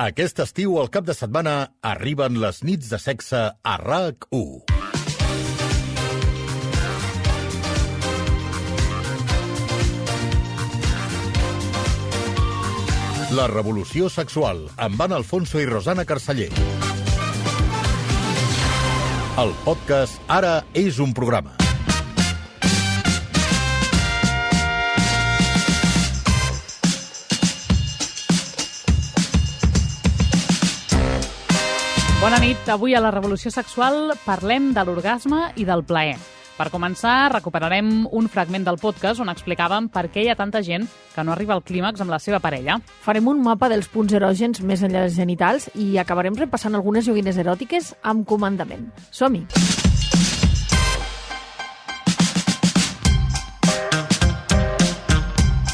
Aquest estiu, al cap de setmana, arriben les nits de sexe a RAC1. La revolució sexual, amb Anna Alfonso i Rosana Carceller. El podcast Ara és un programa. Bona nit. Avui a la Revolució Sexual parlem de l'orgasme i del plaer. Per començar, recuperarem un fragment del podcast on explicàvem per què hi ha tanta gent que no arriba al clímax amb la seva parella. Farem un mapa dels punts erògens més enllà dels genitals i acabarem repassant algunes joguines eròtiques amb comandament. Som-hi!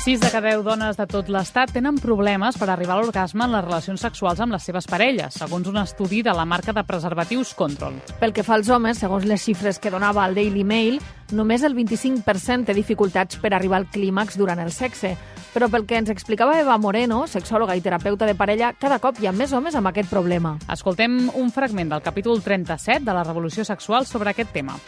6 de cada 10 dones de tot l'Estat tenen problemes per arribar a l'orgasme en les relacions sexuals amb les seves parelles, segons un estudi de la marca de preservatius Control. Pel que fa als homes, segons les xifres que donava el Daily Mail, només el 25% té dificultats per arribar al clímax durant el sexe. Però pel que ens explicava Eva Moreno, sexòloga i terapeuta de parella, cada cop hi ha més homes amb aquest problema. Escoltem un fragment del capítol 37 de la Revolució Sexual sobre aquest tema.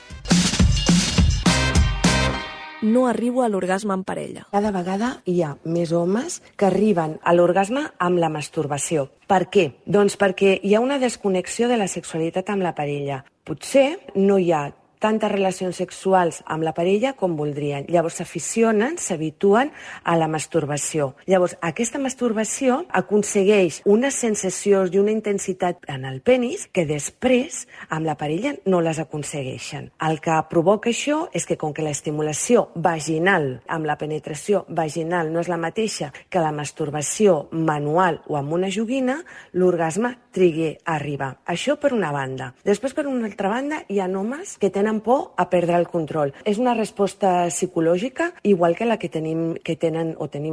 No arribo a l'orgasme en parella. Cada vegada hi ha més homes que arriben a l'orgasme amb la masturbació. Per què? Doncs perquè hi ha una desconnexió de la sexualitat amb la parella. Potser no hi ha tantes relacions sexuals amb la parella com voldrien. Llavors s'aficionen, s'habituen a la masturbació. Llavors aquesta masturbació aconsegueix unes sensacions i una intensitat en el penis que després amb la parella no les aconsegueixen. El que provoca això és que com que l'estimulació vaginal amb la penetració vaginal no és la mateixa que la masturbació manual o amb una joguina, l'orgasme trigui a arribar. Això per una banda. Després, per una altra banda, hi ha homes que tenen por a perdre el control. És una resposta psicològica igual que la que tenim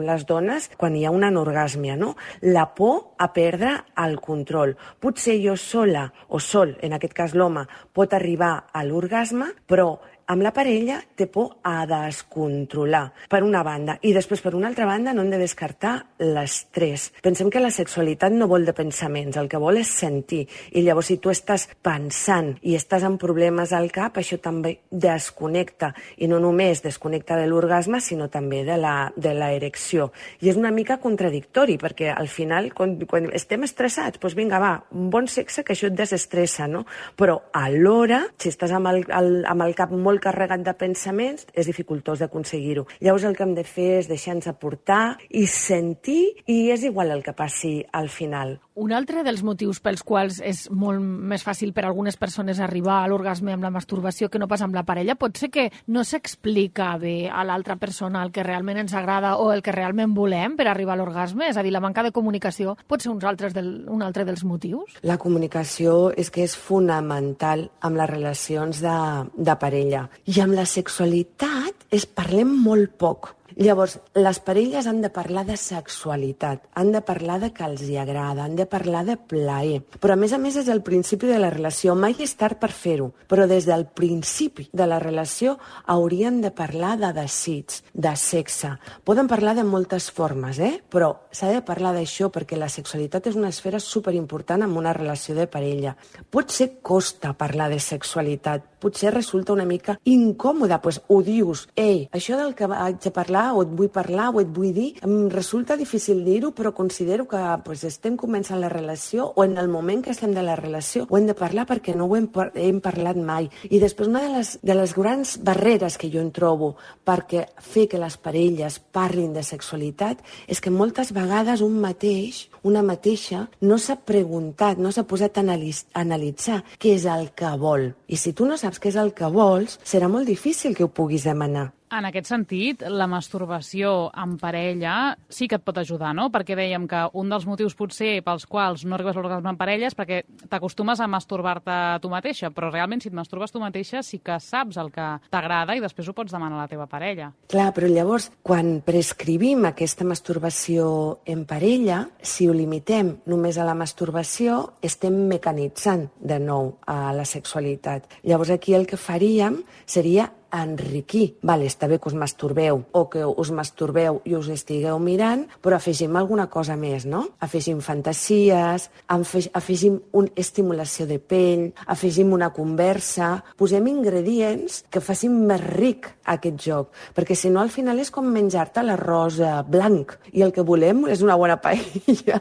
les dones quan hi ha una anorgàsmia, no? La por a perdre el control. Potser jo sola, o sol, en aquest cas l'home, pot arribar a l'orgasme, però amb la parella té por a descontrolar, per una banda. I després, per una altra banda, no hem de descartar l'estrès. Pensem que la sexualitat no vol de pensaments, el que vol és sentir. I llavors, si tu estàs pensant i estàs amb problemes al cap, això també desconnecta. I no només desconnecta de l'orgasme, sinó també de la erecció. I és una mica contradictori, perquè al final, quan estem estressats, doncs vinga, va, un bon sexe que això et desestressa, no? Però alhora, si estàs amb el cap molt carregat de pensaments, és dificultós d'aconseguir-ho. Llavors el que hem de fer és deixar-nos aportar i sentir, i és igual el que passi al final. Un altre dels motius pels quals és molt més fàcil per a algunes persones arribar a l'orgasme amb la masturbació que no pas amb la parella pot ser que no s'explica bé a l'altra persona el que realment ens agrada o el que realment volem per arribar a l'orgasme, és a dir, la manca de comunicació pot ser un altre dels motius? La comunicació és que és fonamental amb les relacions de parella. I amb la sexualitat parlem molt poc. Llavors, les parelles han de parlar de sexualitat, han de parlar de que els hi agrada, han de parlar de plaer. Però, a més, és el principi de la relació. Mai és tard per fer-ho, però des del principi de la relació haurien de parlar de desig, de sexe. Poden parlar de moltes formes, però s'ha de parlar d'això perquè la sexualitat és una esfera superimportant en una relació de parella. Potser costa parlar de sexualitat, potser resulta una mica incòmode, doncs ho dius, això del que vaig a parlar o et vull parlar o et vull dir, em resulta difícil dir-ho, però considero que estem començant la relació o en el moment que estem de la relació ho hem de parlar perquè no ho hem parlat mai. I després una de les grans barreres que jo en trobo perquè fer que les parelles parlin de sexualitat és que moltes vegades una mateixa no s'ha preguntat, no s'ha posat a analitzar què és el que vol. I si tu no saps què és el que vols, serà molt difícil que ho puguis demanar. En aquest sentit, la masturbació en parella sí que et pot ajudar, no? Perquè dèiem que un dels motius potser pels quals no arribes a l'orgasme en parella és perquè t'acostumes a masturbar-te tu mateixa, però realment si et masturbes tu mateixa sí que saps el que t'agrada i després ho pots demanar a la teva parella. Clar, però llavors, quan prescrivim aquesta masturbació en parella, si ho limitem només a la masturbació, estem mecanitzant de nou a la sexualitat. Llavors aquí el que faríem seria enriquir. Vale, està bé que us masturbeu o que us masturbeu i us estigueu mirant, però afegim alguna cosa més, no? Afegim fantasies, afegim una estimulació de pell, afegim una conversa, posem ingredients que facin més ric aquest joc, perquè si no al final és com menjar-te l'arròs blanc i el que volem és una bona paella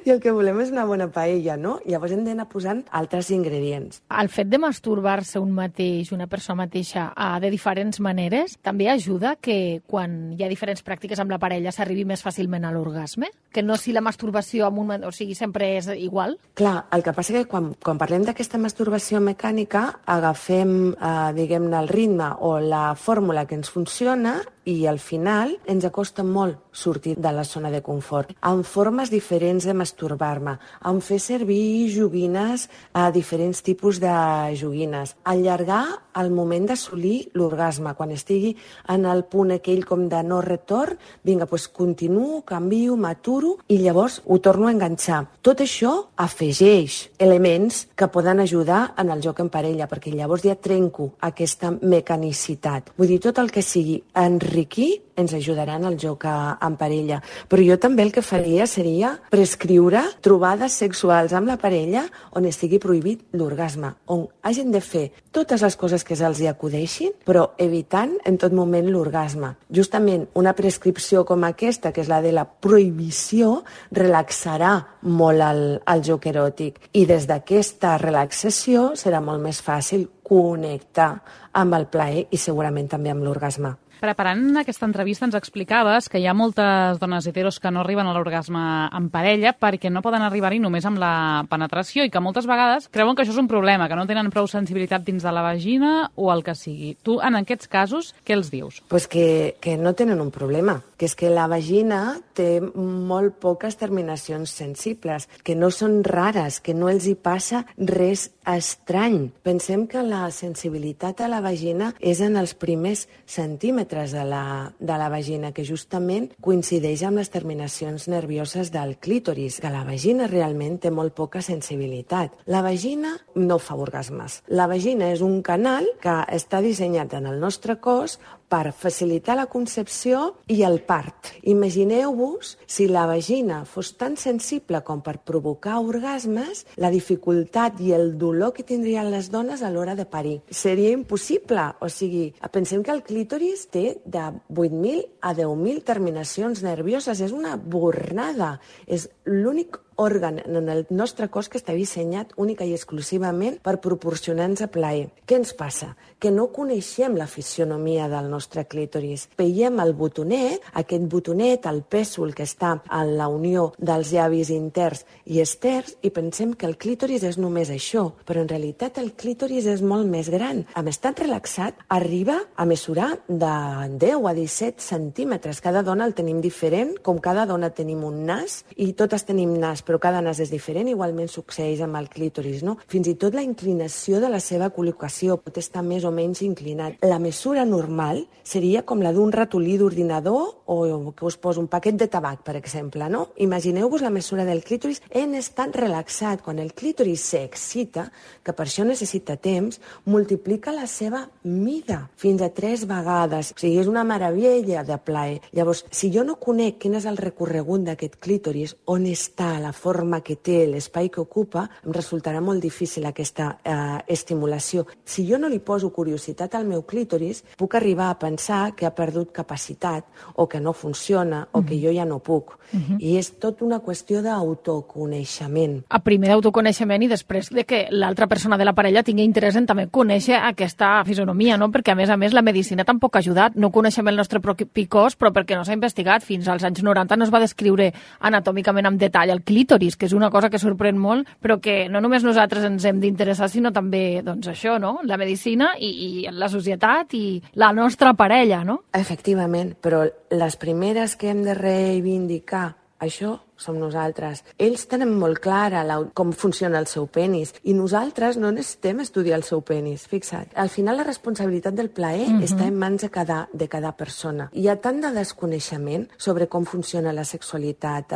i el que volem és una bona paella, no? Llavors hem d'anar posant altres ingredients. El fet de masturbar-se un mateix, una persona mateixa, de diferents maneres, també ajuda que quan hi ha diferents pràctiques amb la parella s'arribi més fàcilment a l'orgasme? Que no si la masturbació amb o sigui, sempre és igual? Clar, el que passa que quan parlem d'aquesta masturbació mecànica agafem, diguem-ne, el ritme o la fórmula que ens funciona i al final ens acosta molt sortir de la zona de confort. Amb formes diferents de masturbar-me, amb fer servir joguines, diferents tipus de joguines, allargar el moment d'assolir l'orgasme. Quan estigui en el punt aquell com de no retorn, vinga, doncs continuo, canvio, m'aturo i llavors ho torno a enganxar. Tot això afegeix elements que poden ajudar en el joc en parella, perquè llavors ja trenco aquesta mecanicitat. Vull dir, tot el que sigui enriquir ens ajudarà en el joc en parella. Però jo també el que faria seria prescriure trobades sexuals amb la parella on estigui prohibit l'orgasme, on hagin de fer totes les coses que se'ls acudeixin, però evitant en tot moment l'orgasme. Justament una prescripció com aquesta, que és la de la prohibició, relaxarà molt el joc eròtic. I des d'aquesta relaxació serà molt més fàcil connectar amb el plaer i segurament també amb l'orgasme. Preparant aquesta entrevista ens explicaves que hi ha moltes dones heteros que no arriben a l'orgasme en parella perquè no poden arribar-hi només amb la penetració i que moltes vegades creuen que això és un problema, que no tenen prou sensibilitat dins de la vagina o el que sigui. Tu, en aquests casos, què els dius? Pues que no tenen un problema, que és que la vagina té molt poques terminacions sensibles, que no són rares, que no els hi passa res estrany. Pensem que la sensibilitat a la vagina és en els primers centímetres de la vagina, que justament coincideix amb les terminacions nervioses del clítoris, que la vagina realment té molt poca sensibilitat. La vagina no fa orgasmes. La vagina és un canal que està dissenyat en el nostre cos per facilitar la concepció i el part. Imagineu-vos si la vagina fos tan sensible com per provocar orgasmes, la dificultat i el dolor que tindrien les dones a l'hora de parir. Seria impossible. O sigui, pensem que el clítoris té de 8.000 a 10.000 terminacions nervioses. És una bornada. És l'únic òrgan en el nostre cos que està dissenyat única i exclusivament per proporcionar-nos plaer. Què ens passa? Que no coneixem la fisionomia del nostre clítoris. Veiem el botonet, aquest botonet, el pèsol que està en la unió dels llavis interns i externs, i pensem que el clítoris és només això, però en realitat el clítoris és molt més gran. En estat relaxat arriba a mesurar de 10 a 17 centímetres. Cada dona el tenim diferent, com cada dona tenim un nas, i totes tenim nas, però cada nas és diferent, igualment succeeix amb el clítoris, no? Fins i tot la inclinació de la seva col·locació pot estar més o menys inclinat. La mesura normal seria com la d'un ratolí d'ordinador o que us poso un paquet de tabac, per exemple, no? Imagineu-vos la mesura del clítoris en estat relaxat. Quan el clítoris s'excita, que per això necessita temps, multiplica la seva mida fins a 3 vegades. O sigui, és una meravella de plaer. Llavors, si jo no conec quin és el recorregut d'aquest clítoris, on està la forma que té, l'espai que ocupa, em resultarà molt difícil aquesta estimulació. Si jo no li poso curiositat al meu clítoris, puc arribar a pensar que ha perdut capacitat o que no funciona o que jo ja no puc. I és tot una qüestió d'autoconeixement. A primer d'autoconeixement i després de que l'altra persona de la parella tingui interès en també conèixer aquesta fisonomia, no? Perquè a més la medicina tampoc ha ajudat. No coneixem el nostre propi cos, però perquè no s'ha investigat. Fins als anys 90 no es va descriure anatòmicament amb detall el clítoris, que és una cosa que sorprèn molt, però que no només nosaltres ens hem d'interessar, sinó també, doncs això, no? La medicina i la societat i la nostra parella, no? Efectivament, però les primeres que hem de reivindicar això som nosaltres. Ells tenen molt clara com funciona el seu penis i nosaltres no necessitem estudiar el seu penis, fixa't. Al final la responsabilitat del plaer està en mans de cada persona. Hi ha tant de desconeixement sobre com funciona la sexualitat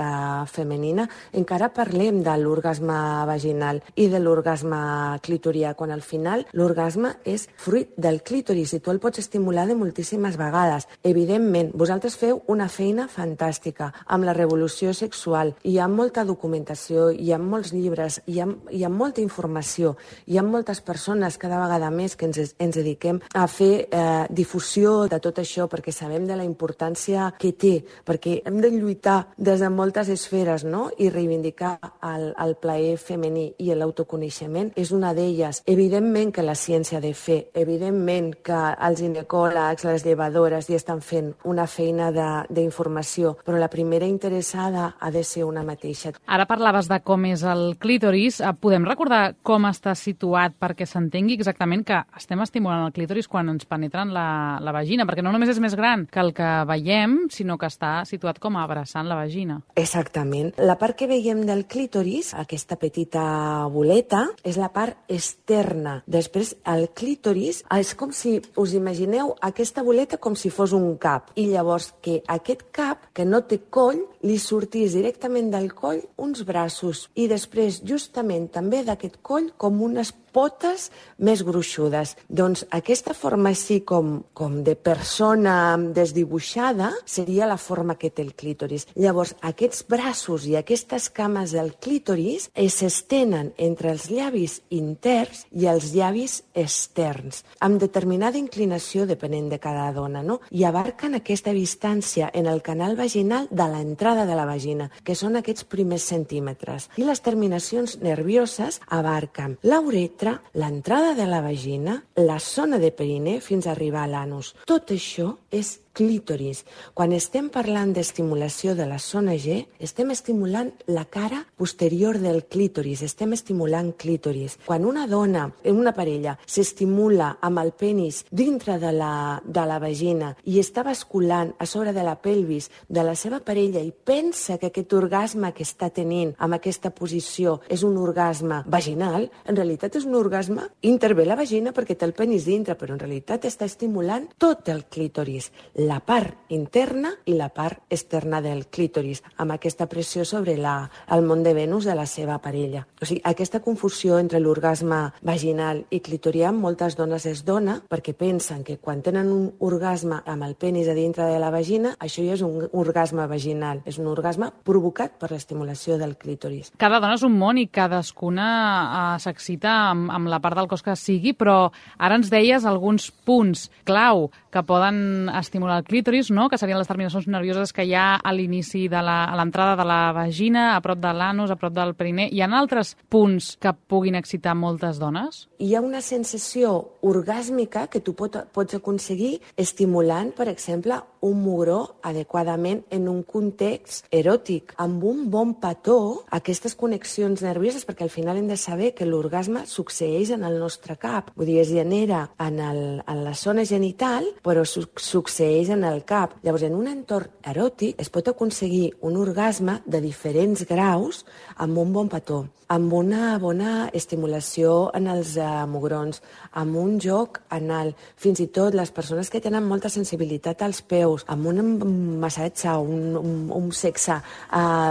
femenina, encara parlem de l'orgasme vaginal i de l'orgasme clitorià, quan al final l'orgasme és fruit del clítoris i tu el pots estimular de moltíssimes vegades. Evidentment, vosaltres feu una feina fantàstica amb la revolució sexual. Hi ha molta documentació, hi ha molts llibres, hi ha molta informació, hi ha moltes persones cada vegada més que ens dediquem a fer difusió de tot això perquè sabem de la importància que té, perquè hem de lluitar des de moltes esferes, no? I reivindicar el plaer femení i l'autoconeixement és una d'elles. Evidentment que la ciència ha de fer, evidentment que els ginecòlegs, les llevadores hi estan fent una feina d'informació, però la primera interessada ha de ser una mateixa. Ara parlaves de com és el clítoris. Podem recordar com està situat perquè s'entengui exactament que estem estimulant el clítoris quan ens penetren la vagina? Perquè no només és més gran que el que veiem, sinó que està situat com abraçant la vagina. Exactament. La part que veiem del clítoris, aquesta petita boleta, és la part externa. Després, el clítoris és com si, us imagineu aquesta boleta com si fos un cap. I llavors que aquest cap, que no té coll, li sortís directament del coll uns braços i després justament també d'aquest coll com unes potes més gruixudes. Doncs aquesta forma així com de persona desdibuixada seria la forma que té el clítoris. Llavors aquests braços i aquestes cames del clítoris s'estenen entre els llavis interns i els llavis externs, amb determinada inclinació depenent de cada dona, no? I abarquen aquesta distància en el canal vaginal de l'entrada de la vagina, que són aquests primers centímetres. I les terminacions nervioses abarquen la uretra, l'entrada de la vagina, la zona de perineu fins a arribar a l'anus. Tot això és clítoris. Quan estem parlant d'estimulació de la zona G, estem estimulant la cara posterior del clítoris, estem estimulant clítoris. Quan una dona, una parella, s'estimula amb el penis dintre de la vagina i està basculant a sobre de la pelvis de la seva parella i pensa que aquest orgasme que està tenint amb aquesta posició és un orgasme vaginal, en realitat és un orgasme intervé la vagina perquè té el penis dintre, però en realitat està estimulant tot el clítoris, la part interna i la part externa del clítoris, amb aquesta pressió sobre el món de Venus de la seva parella. O sigui, aquesta confusió entre l'orgasme vaginal i clitorià moltes dones es dona perquè pensen que quan tenen un orgasme amb el penis a dintre de la vagina, això ja és un orgasme vaginal, és un orgasme provocat per l'estimulació del clítoris. Cada dona és un món i cadascuna s'excita amb la part del cos que sigui, però ara ens deies alguns punts clau que poden estimular el clítoris, no? Que serien les terminacions nervioses que hi ha a l'inici de l'entrada de la vagina, a prop de l'anus, a prop del perineu. Hi ha altres punts que puguin excitar moltes dones? Hi ha una sensació orgàsmica que tu pots aconseguir estimulant, per exemple, un mugró adequadament en un context eròtic, amb un bon petó, aquestes connexions nervioses, perquè al final hem de saber que l'orgasme succeeix en el nostre cap. Vull dir, es genera en la zona genital, però succeeix en el cap. Llavors, en un entorn eròtic es pot aconseguir un orgasme de diferents graus amb un bon petó, amb una bona estimulació en els mugrons, amb un joc anal, fins i tot les persones que tenen molta sensibilitat als peus, amb un massatge, un sexe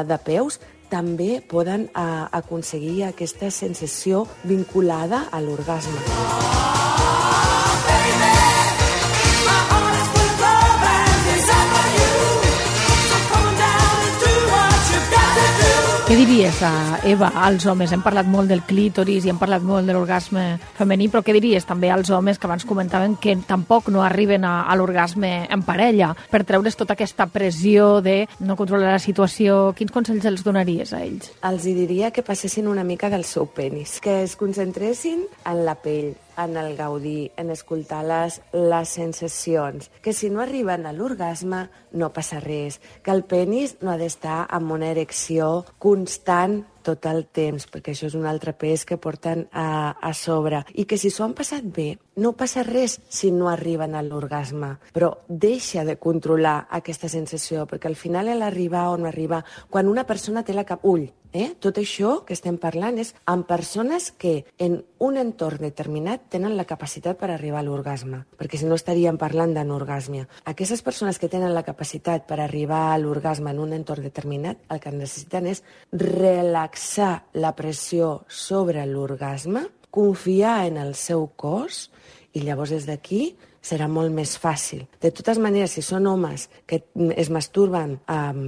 de peus, també poden aconseguir aquesta sensació vinculada a l'orgasme. Què diries, Eva, als homes? Hem parlat molt del clítoris i hem parlat molt de l'orgasme femení, però què diries també als homes que abans comentaven que tampoc no arriben a l'orgasme en parella per treure's tota aquesta pressió de no controlar la situació? Quins consells els donaries a ells? Els diria que passessin una mica del seu penis, que es concentressin en la pell, en el gaudir, en escoltar les sensacions, que si no arriben a l'orgasme no passa res, que el penis no ha d'estar amb una erecció constant tot el temps, perquè això és un altre pes que porten a sobre, i que si s'ho han passat bé, no passa res si no arriben a l'orgasme, però deixa de controlar aquesta sensació, perquè al final l'arribar o no arribar, quan una persona té tot això que estem parlant és amb persones que en un entorn determinat tenen la capacitat per arribar a l'orgasme, perquè si no estaríem parlant d'anorgàsmia. Aquestes persones que tenen la capacitat per arribar a l'orgasme en un entorn determinat, el que necessiten és relaxar la pressió sobre l'orgasme, confiar en el seu cos, i llavors des d'aquí serà molt més fàcil. De totes maneres, si són homes que es masturben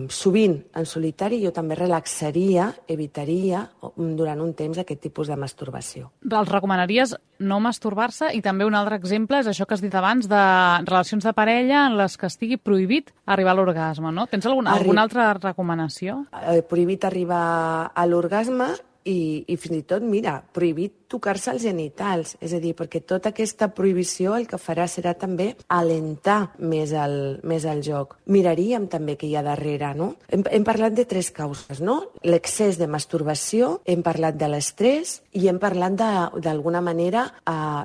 sovint en solitari, jo també evitaria durant un temps aquest tipus de masturbació. Els recomanaries no masturbar-se? I també un altre exemple és això que has dit abans de relacions de parella en les que estigui prohibit arribar a l'orgasme, no? Tens alguna altra recomanació? Prohibit arribar a l'orgasme i fins i tot, mira, prohibit tocar-se els genitals, és a dir, perquè tota aquesta prohibició el que farà serà també alentar més el joc. Miraríem també què hi ha darrere, no? Hem parlat de 3 causes, no? L'excés de masturbació, hem parlat de l'estrès i hem parlat d'alguna manera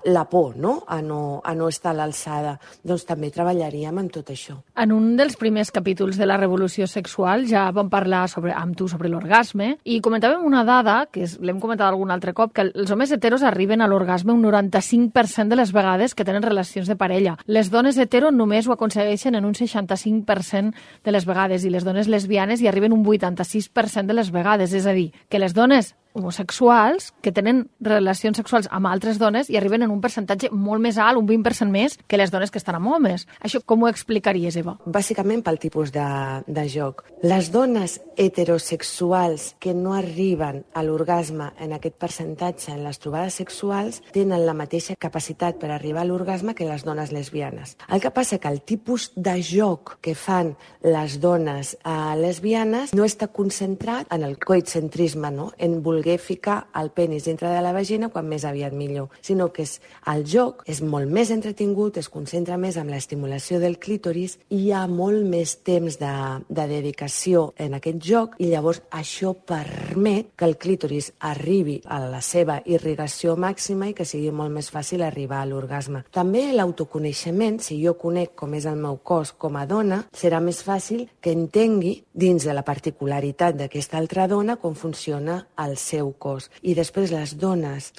la por, no? A no estar a l'alçada. Doncs també treballaríem amb tot això. En un dels primers capítols de la revolució sexual ja vam parlar amb tu sobre l'orgasme i comentàvem una dada, que l'hem comentat algun altre cop, que els homes heteros arriben a l'orgasme un 95% de les vegades que tenen relacions de parella. Les dones hetero només ho aconsegueixen en un 65% de les vegades i les dones lesbianes hi arriben un 86% de les vegades. És a dir, que les dones homosexuals que tenen relacions sexuals amb altres dones i arriben en un percentatge molt més alt, un 20% més, que les dones que estan amb homes. Això com ho explicaries, Eva? Bàsicament pel tipus de joc. Les dones heterosexuals que no arriben a l'orgasme en aquest percentatge en les trobades sexuals tenen la mateixa capacitat per arribar a l'orgasme que les dones lesbianes. El que passa que el tipus de joc que fan les dones lesbianes no està concentrat en el coitcentrisme, no? En voler ficar el penis dintre de la vagina quan més aviat millor, sinó que el joc és molt més entretingut, es concentra més en l'estimulació del clítoris i hi ha molt més temps de dedicació en aquest joc i llavors això permet que el clítoris arribi a la seva irrigació màxima i que sigui molt més fàcil arribar a l'orgasme. També l'autoconeixement, si jo conec com és el meu cos com a dona, serà més fàcil que entengui dins de la particularitat d'aquesta altra dona com funciona el seu cos. I després les dones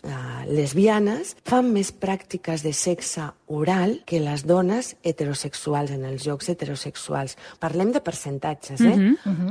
lesbianes fan més pràctiques de sexe oral que les dones heterosexuals en els jocs heterosexuals. Parlem de percentatges,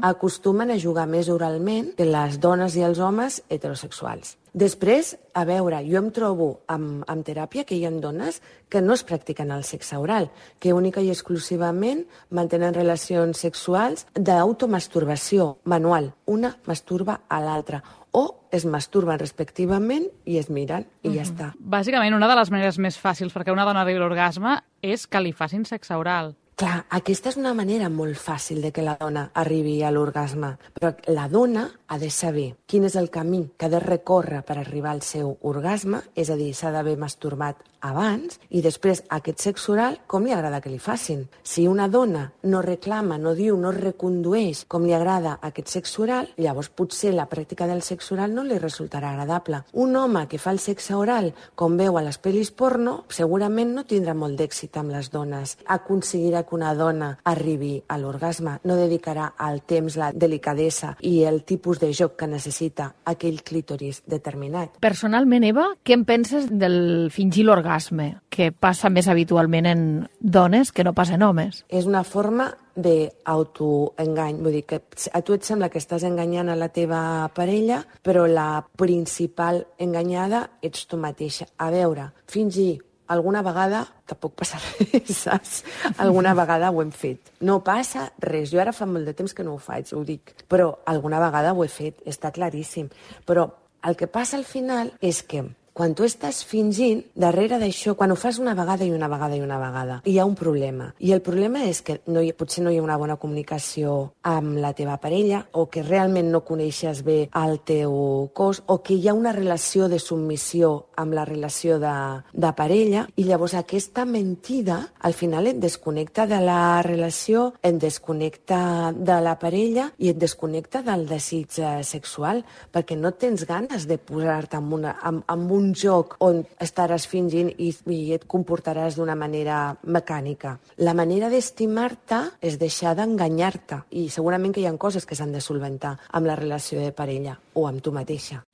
Acostumen a jugar més oralment que les dones i els homes heterosexuals. Després, a veure, jo em trobo amb teràpia que hi ha dones que no es practiquen el sexe oral, que única i exclusivament mantenen relacions sexuals d'automasturbació manual. Una masturba a l'altra. O es masturben respectivament i es miren i ja està. Bàsicament, una de les maneres més fàcils perquè una dona arribi a l'orgasme és que li facin sexe oral. Clar, aquesta és una manera molt fàcil de que la dona arribi a l'orgasme, però la dona ha de saber quin és el camí que ha de recórrer per arribar al seu orgasme, és a dir, s'ha d'haver masturbat abans i després aquest sexe oral com li agrada que li facin. Si una dona no reclama, no diu, no recondueix com li agrada aquest sexe oral, llavors potser la pràctica del sexe oral no li resultarà agradable. Un home que fa el sexe oral com veu a les pel·lis porno segurament no tindrà molt d'èxit amb les dones. Aconseguirà que una dona arribi a l'orgasme, no dedicarà el temps, la delicadesa i el tipus de joc que necessita aquell clítoris determinat. Personalment, Eva, què en penses del fingir l'orgasme, que passa més habitualment en dones que no pas en homes? És una forma d'autoengany. Vull dir que a tu et sembla que estàs enganyant a la teva parella, però la principal enganyada ets tu mateixa. A veure, fingir alguna vegada tampoc passa res, saps? Alguna vegada ho hem fet. No passa res. Jo ara fa molt de temps que no ho faig, ho dic. Però alguna vegada ho he fet, està claríssim. Però el que passa al final és que Quan tu estàs fingint, darrere d'això, quan ho fas una vegada i una vegada i una vegada, hi ha un problema. I el problema és que potser no hi ha una bona comunicació amb la teva parella, o que realment no coneixes bé el teu cos, o que hi ha una relació de submissió amb la relació de parella, i llavors aquesta mentida al final et desconnecta de la relació, et desconnecta de la parella i et desconnecta del desig sexual, perquè no tens ganes de posar-te en un joc on estaràs fingint i et comportaràs d'una manera mecànica. La manera d'estimar-te és deixar d'enganyar-te, i segurament que hi ha coses que s'han de solventar amb la relació de parella o amb tu mateixa.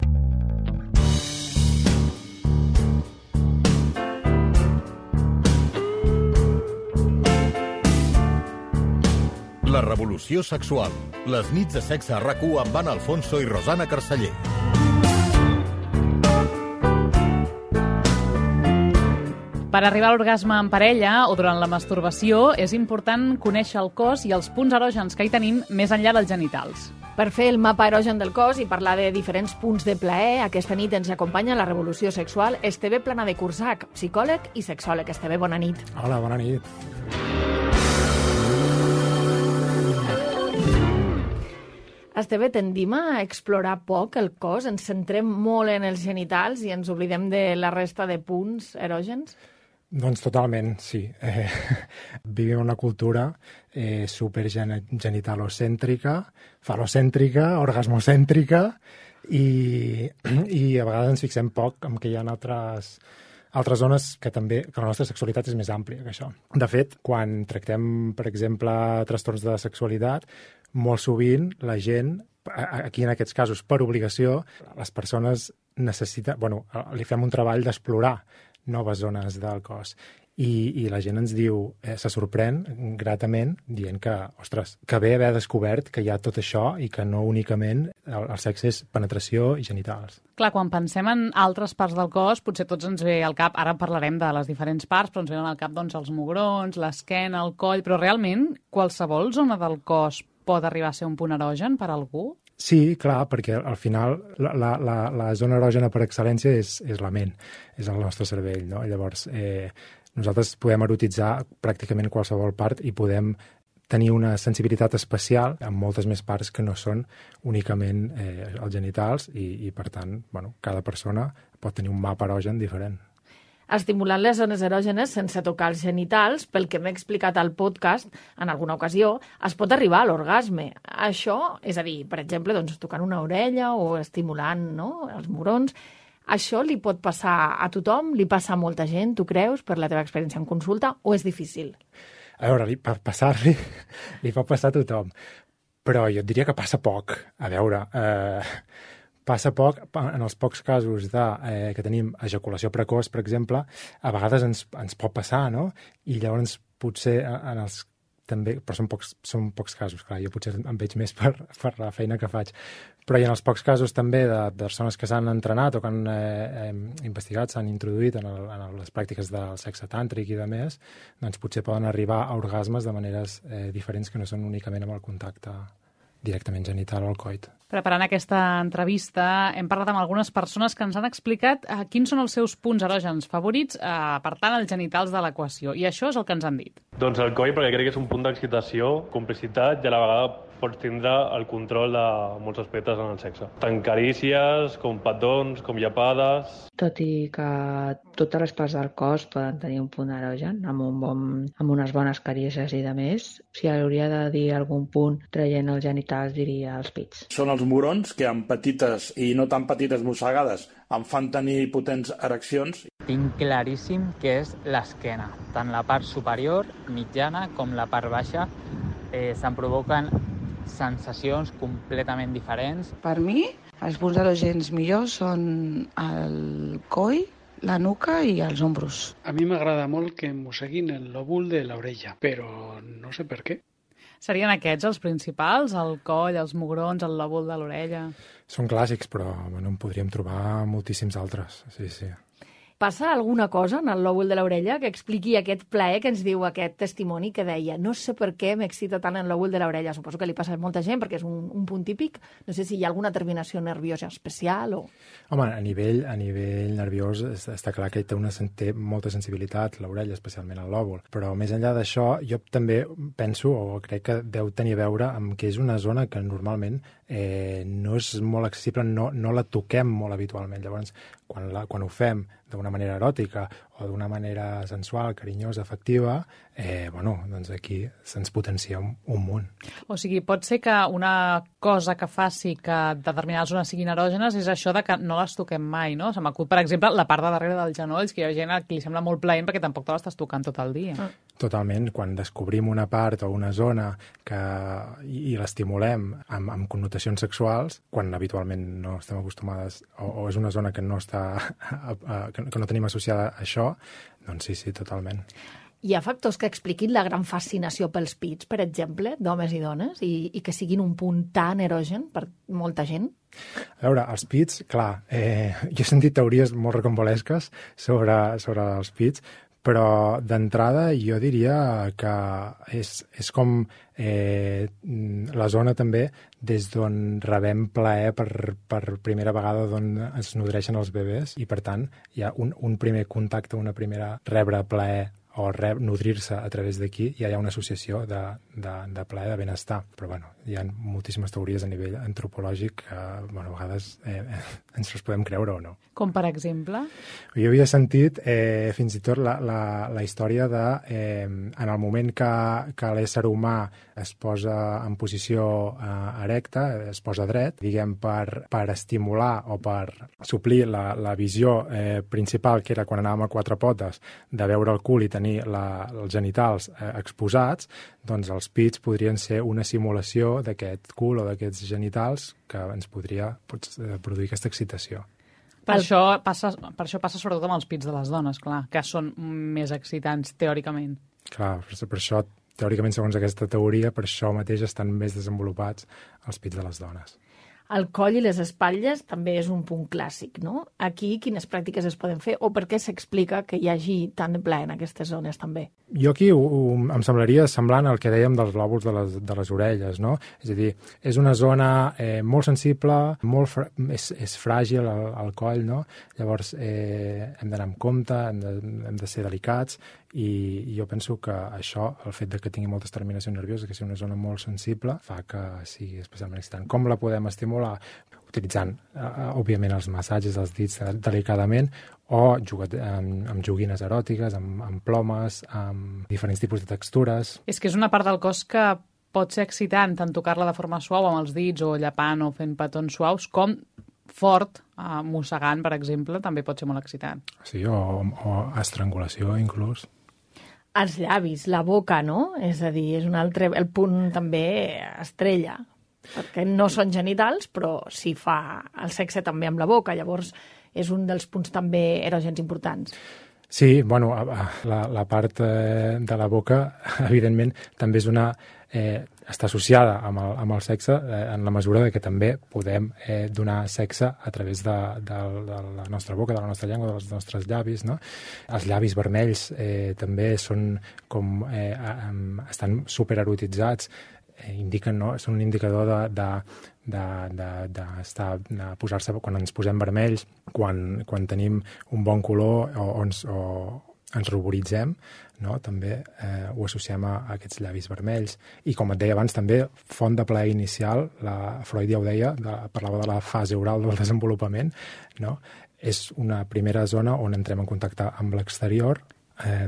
La revolució sexual. Les nits de sexe a RAC1 amb Anna Alfonso i Rosana Carceller. Per arribar a l'orgasme en parella o durant la masturbació és important conèixer el cos i els punts erògens que hi tenim més enllà dels genitals. Per fer el mapa erogen del cos i parlar de diferents punts de plaer, aquesta nit ens acompanya la revolució sexual Esteve Plana de Cursac, psicòleg i sexòleg. Esteve, bona nit. Hola, bona nit. Esteve, tendim a explorar poc el cos, ens centrem molt en els genitals i ens oblidem de la resta de punts erògens? Doncs totalment, sí. Vivim una cultura supergenitalocèntrica, falocèntrica, orgasmocèntrica, i a vegades ens fixem poc en que hi ha altres zones que la nostra sexualitat és més àmplia que això. De fet, quan tractem, per exemple, trastorns de sexualitat, molt sovint la gent, aquí en aquests casos per obligació, les persones li fem un treball d'explorar noves zones del cos. I la gent ens diu, se sorprèn gratament, dient que, ostres, que bé haver descobert que hi ha tot això i que no únicament el sexe és penetració i genitals. Clar, quan pensem en altres parts del cos, potser tots ens ve al cap, ara parlarem de les diferents parts, però ens venen al cap doncs, els mugrons, l'esquena, el coll, però realment qualsevol zona del cos pot arribar a ser un punt erogen per a algú? Sí, clar, perquè al final la zona erògena per excel·lència és la ment, és el nostre cervell, no? Llavors, nosaltres podem erotitzar pràcticament qualsevol part i podem tenir una sensibilitat especial amb moltes més parts que no són únicament els genitals i per tant, cada persona pot tenir un mapa erogen diferent. Estimulant les zones erògenes sense tocar els genitals, pel que m'he explicat al podcast en alguna ocasió, es pot arribar a l'orgasme. Això, és a dir, per exemple, tocant una orella o estimulant els mugrons, això li pot passar a tothom? Li passa a molta gent, tu creus, per la teva experiència en consulta, o és difícil? A veure, per passar-li, li pot passar a tothom, però jo et diria que passa poc. A veure, passa poc en els pocs casos que tenim ejaculació precoç, per exemple, a vegades ens pot passar, no? I llavors potser també, però són pocs casos, clar, jo potser em veig més per la feina que faig. Però hi ha els pocs casos també de persones que s'han entrenat o que han investigat, s'han introduït en les pràctiques del sexe tàntric i de més, doncs potser poden arribar a orgasmes de maneres diferents que no són únicament amb el contacte directament genital o al coit. Preparant aquesta entrevista hem parlat amb algunes persones que ens han explicat quins són els seus punts erògens favorits, apartant els genitals de l'equació. I això és el que ens han dit. Doncs el coll, perquè crec que és un punt d'excitació, complicitat i a la vegada pots tindre el control de molts aspectes en el sexe. Tant carícies, com petons, com llepades. Tot i que totes les parts del cos poden tenir un punt erogen, amb unes bones carícies i de més, si hauria de dir algun punt traient els genitals diria els pits. Són els mugrons que amb petites i no tan petites mossegades em fan tenir potents ereccions. Tinc claríssim que és l'esquena. Tant la part superior, mitjana, com la part baixa se'n provoquen sensacions completament diferents. Per mi, els punts erògens millors són el coll, la nuca i els ombros. A mi m'agrada molt que em mosseguin el lòbul de l'orella, però no sé per què. Serien aquests els principals? El coll, els mugrons, el lòbul de l'orella? Són clàssics, però en podríem trobar moltíssims altres, sí. Passa alguna cosa en el lòbul de l'orella que expliqui aquest plaer que ens diu aquest testimoni que deia no sé per què m'excita tant el lòbul de l'orella. Suposo que li passa a molta gent perquè és un punt típic. No sé si hi ha alguna terminació nerviosa especial o... Home, a nivell nerviós està clar que té molta sensibilitat l'orella, especialment el lòbul. Però més enllà d'això, jo també penso, o crec que deu tenir a veure amb que és una zona que normalment no és molt accessible, no la toquem molt habitualment. Llavors, quan ho fem d'una manera eròtica o d'una manera sensual, carinyosa, afectiva, doncs aquí se'ns potencia un munt. O sigui, pot ser que una cosa que faci que determinades zones siguin erògenes és això de que no les toquem mai, no? Se m'acut, per exemple, la part de darrere dels genolls, que hi ha gent a qui li sembla molt plaent perquè tampoc te l'estàs tocant tot el dia. Totalment. Quan descobrim una part o una zona i l'estimulem amb connotacions sexuals, quan habitualment no estem acostumades o és una zona que no tenim associada a això, doncs sí, totalment. Hi ha factors que expliquin la gran fascinació pels pits, per exemple, d'homes i dones, i que siguin un punt tan erogen per molta gent? A veure, els pits, clar, jo he sentit teories molt rocambolesques sobre els pits, però d'entrada jo diria que és com la zona també des d'on rebem plaer per primera vegada, d'on es nodreixen els bebès, i per tant hi ha un primer contacte, una primera rebre plaer o nodrir-se a través d'aquí, ja hi ha una associació de plaer, de benestar. Però bueno, hi ha moltíssimes teories a nivell antropològic que a vegades ens les podem creure o no. Com per exemple? Jo havia sentit fins i tot la història de en el moment que l'ésser humà es posa en posició erecta, es posa dret, diguem, per estimular o per suplir la visió principal, que era quan anàvem a quatre potes, de veure el cul i tenir els genitals exposats, doncs els pits podrien ser una simulació d'aquest cul o d'aquests genitals que ens podria produir aquesta excitació. Per això passa sobretot amb els pits de les dones, clar, que són més excitants teòricament. Clar, per això, teòricament, segons aquesta teoria, per això mateix estan més desenvolupats els pits de les dones. El coll i les espatlles també és un punt clàssic, no? Aquí, quines pràctiques es poden fer o per què s'explica que hi hagi tant de plaer en aquestes zones també? Jo aquí em semblaria semblant al que dèiem dels lòbuls de les orelles, no? És a dir, és una zona molt sensible, és fràgil el coll, no? Llavors hem d'anar amb compte, hem de ser delicats, i jo penso que això, el fet que tingui moltes terminacions nervioses, que sigui una zona molt sensible, fa que sigui especialment excitant. Com la podem estimular? Utilitzant, òbviament, els massatges dels dits delicadament o amb joguines eròtiques, amb plomes, amb diferents tipus de textures. És que és una part del cos que pot ser excitant, tant tocar-la de forma suau amb els dits o llapant o fent petons suaus, com fort, mossegant, per exemple, també pot ser molt excitant. Sí, o estrangulació, inclús. Els llavis, la boca, no? És a dir, és un altre... El punt també estrella, perquè no són genitals, però sí fa el sexe també amb la boca, llavors és un dels punts també erògens importants. Sí, bueno, la part de la boca, evidentment, també és està associada amb el sexe en la mesura que també podem donar sexe a través de la nostra boca, de la nostra llengua, dels nostres llavis, no? Els llavis vermells també són com estan supererotitzats, indiquen, no? Són un indicador de posar-se quan ens posem vermells, quan tenim un bon color o ens ruboritzem, no? També ho associem a aquests llavis vermells. I com et deia abans, també font de plaer inicial, Freud ja ho deia, parlava de la fase oral del desenvolupament, no? És una primera zona on entrem en contacte amb l'exterior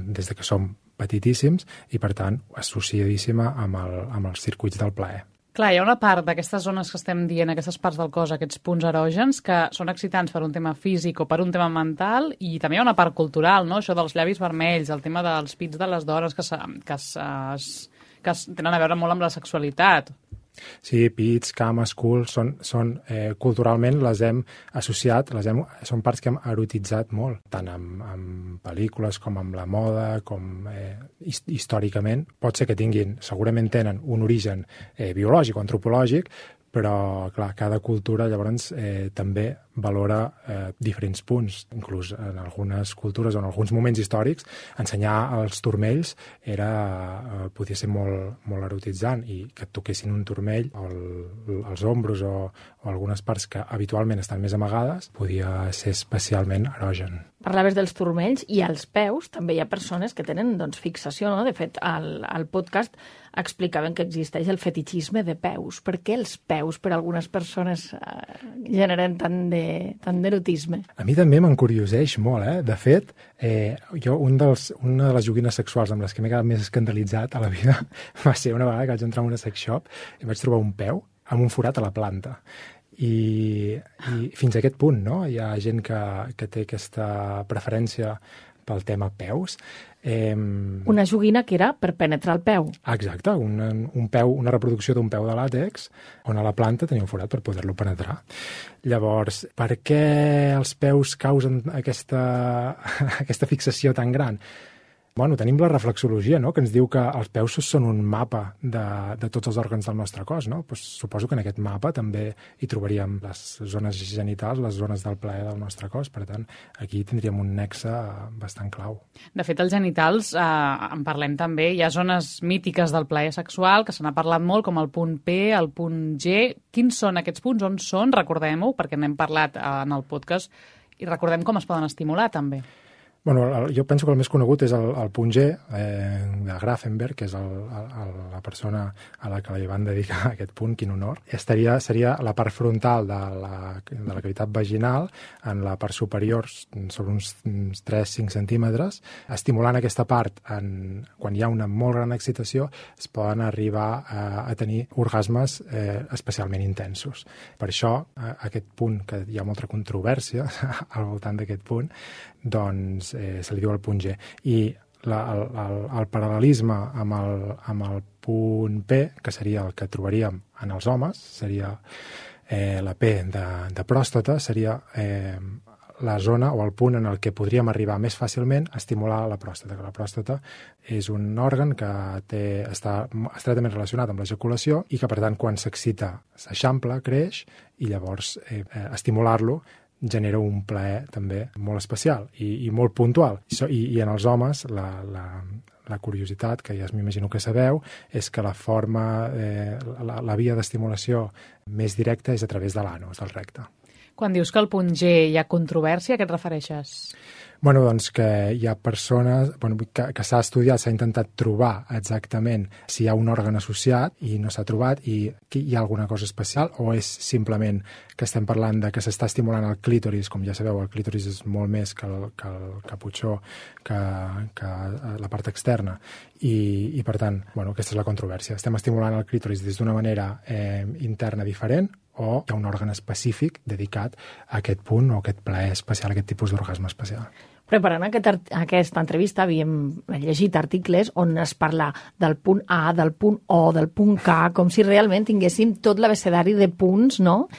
des de que som petitíssims i, per tant, associadíssima amb els circuits del plaer. Clar, hi ha una part d'aquestes zones que estem dient, aquestes parts del cos, aquests punts erògens, que són excitants per un tema físic o per un tema mental, i també hi ha una part cultural, no? Això dels llavis vermells, el tema dels pits de les dones que tenen a veure molt amb la sexualitat. Sí, pits, cames, cul, són culturalment les hem associat, són parts que hem erotitzat molt, tant amb pel·lícules com amb la moda, com històricament. Pot ser que segurament tenen un origen biològic o antropològic, però, clar, cada cultura llavors també valora diferents punts. Inclús en algunes cultures o en alguns moments històrics, ensenyar els turmells podia ser molt erotitzant, i que et toquessin un turmell als ombros o algunes parts que habitualment estan més amagades podia ser especialment erogen. Parlaves dels turmells i als peus també hi ha persones que tenen fixació, no? De fet, al podcast explicaven que existeix el fetichisme de peus. Per què els peus per a algunes persones generen tant d'erotisme? A mi també m'encurioseix molt, De fet, jo una de les joguines sexuals amb les que m'he quedat més escandalitzat a la vida va ser una vegada que vaig entrar en una sex shop i vaig trobar un peu amb un forat a la planta. I fins a aquest punt, no? Hi ha gent que té aquesta preferència pel tema peus. Una joguina que era per penetrar el peu. Exacte, una reproducció d'un peu de làtex on a la planta tenia un forat per poder-lo penetrar. Llavors, per què els peus causen aquesta fixació tan gran? Bueno, tenim la reflexologia, no?, que ens diu que els peus són un mapa de tots els òrgans del nostre cos, no? Pues suposo que en aquest mapa també hi trobaríem les zones genitals, les zones del plaer del nostre cos. Per tant, aquí tindríem un nexe bastant clau. De fet, els genitals, en parlem també, hi ha zones mítiques del plaer sexual que se n'ha parlat molt, com el punt P, el punt G. Quins són aquests punts? On són? Recordem-ho, perquè n'hem parlat en el podcast, i recordem com es poden estimular, també. Bueno, jo penso que el més conegut és el punt G de Grafenberg, que és la persona a la que li van dedicar aquest punt, quin honor. Seria la part frontal de la cavitat vaginal, en la part superior, sobre uns 3-5 centímetres. Estimulant aquesta part, quan hi ha una molt gran excitació, es poden arribar a tenir orgasmes especialment intensos. Per això, aquest punt, que hi ha molta controvèrsia al voltant d'aquest punt, doncs se li diu el punt G. I el paral·lelisme amb el punt P, que seria el que trobaríem en els homes, seria la P de pròstata, seria la zona o el punt en el que podríem arribar més fàcilment a estimular la pròstata, que la pròstata és un òrgan que està estretament relacionat amb l'ejaculació i que, per tant, quan s'excita, s'eixampla, creix, i llavors estimular-lo genera un plaer també molt especial i molt puntual. I en els homes la curiositat, que ja m'imagino que sabeu, és que la via d'estimulació més directa és a través de l'anus, del recte. Quan dius que al punt G hi ha controvèrsia, a què et refereixes? Bueno, doncs que hi ha persones que s'ha estudiat, s'ha intentat trobar exactament si hi ha un òrgan associat i no s'ha trobat, i hi ha alguna cosa especial, o és simplement que estem parlant de que s'està estimulant el clítoris. Com ja sabeu, el clítoris és molt més que el caputxó, que la part externa, i per tant, aquesta és la controvèrsia. Estem estimulant el clítoris des d'una manera interna diferent, o hi ha un òrgan específic dedicat a aquest punt o a aquest plaer especial, a aquest tipus d'orgasme especial. Preparant aquesta entrevista havíem llegit articles on es parla del punt A, del punt O, del punt K, com si realment tinguéssim tot l'abecedari de punts, no?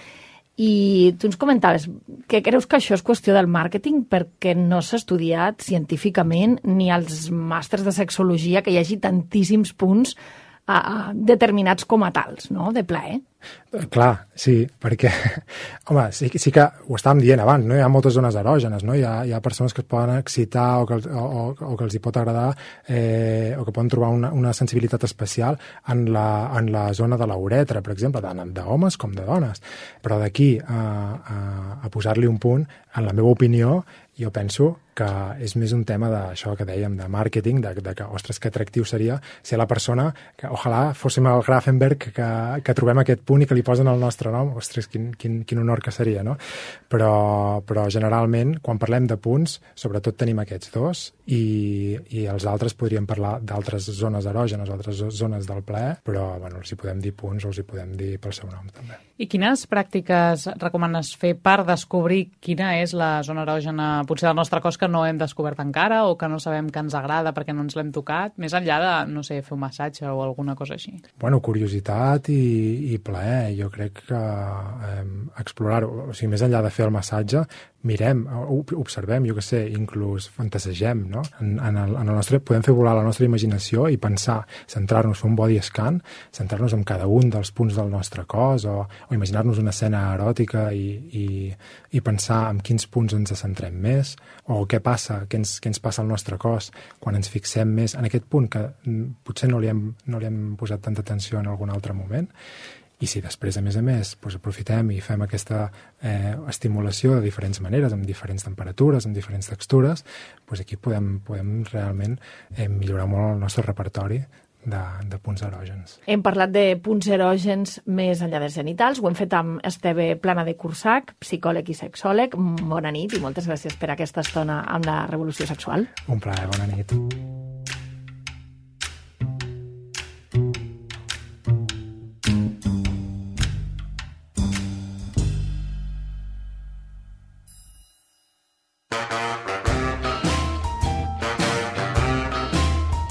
I tu ens comentaves que creus que això és qüestió del màrqueting perquè no s'ha estudiat científicament ni als màsters de sexologia que hi hagi tantíssims punts determinats com a tals, no?, de plaer. Clar, sí, perquè, home, sí que ho estàvem dient abans, no? Hi ha moltes zones erògenes, no? Hi ha persones que es poden excitar o que els hi pot agradar o que poden trobar una sensibilitat especial en la zona de la uretra, per exemple, tant d'homes com de dones. Però d'aquí a posar-li un punt, en la meva opinió, jo penso que és més un tema d'això que dèiem, de màrqueting, de que, ostres, que atractiu seria ser la persona que, ojalà, fóssim el Grafenberg, que trobem aquest punt i que li posen el nostre nom. Ostres, quin honor que seria, no? Però generalment, quan parlem de punts, sobretot tenim aquests dos, i els altres podríem parlar d'altres zones erògenes, altres zones del plaer, però, els hi podem dir punts o els hi podem dir pel seu nom, també. I quines pràctiques recomanes fer per descobrir quina és la zona erògena, potser del nostre cos, que no hem descobert encara o que no sabem que ens agrada perquè no ens l'hem tocat, més enllà de, no sé, fer un massatge o alguna cosa així? Bueno, curiositat i plaer. jo crec que explorar-ho, o sigui, més enllà de fer el massatge, mirem, observem, jo què sé, inclús fantasegem, no? Podem fer volar la nostra imaginació i pensar, centrar-nos, fer un body scan, centrar-nos en cada un dels punts del nostre cos o imaginar-nos una escena eròtica i pensar en quins punts ens centrem més o què passa, què ens passa al nostre cos quan ens fixem més en aquest punt que potser no li hem posat tanta atenció en algun altre moment. I si després, a més, aprofitem i fem aquesta estimulació de diferents maneres, amb diferents temperatures, amb diferents textures, aquí podem realment millorar molt el nostre repertori de punts erògens. Hem parlat de punts erògens més enllà dels genitals. Ho hem fet amb Esteve Plana de Cursac, psicòleg i sexòleg. Bona nit i moltes gràcies per aquesta estona amb la Revolució Sexual. Un plaer, bona nit.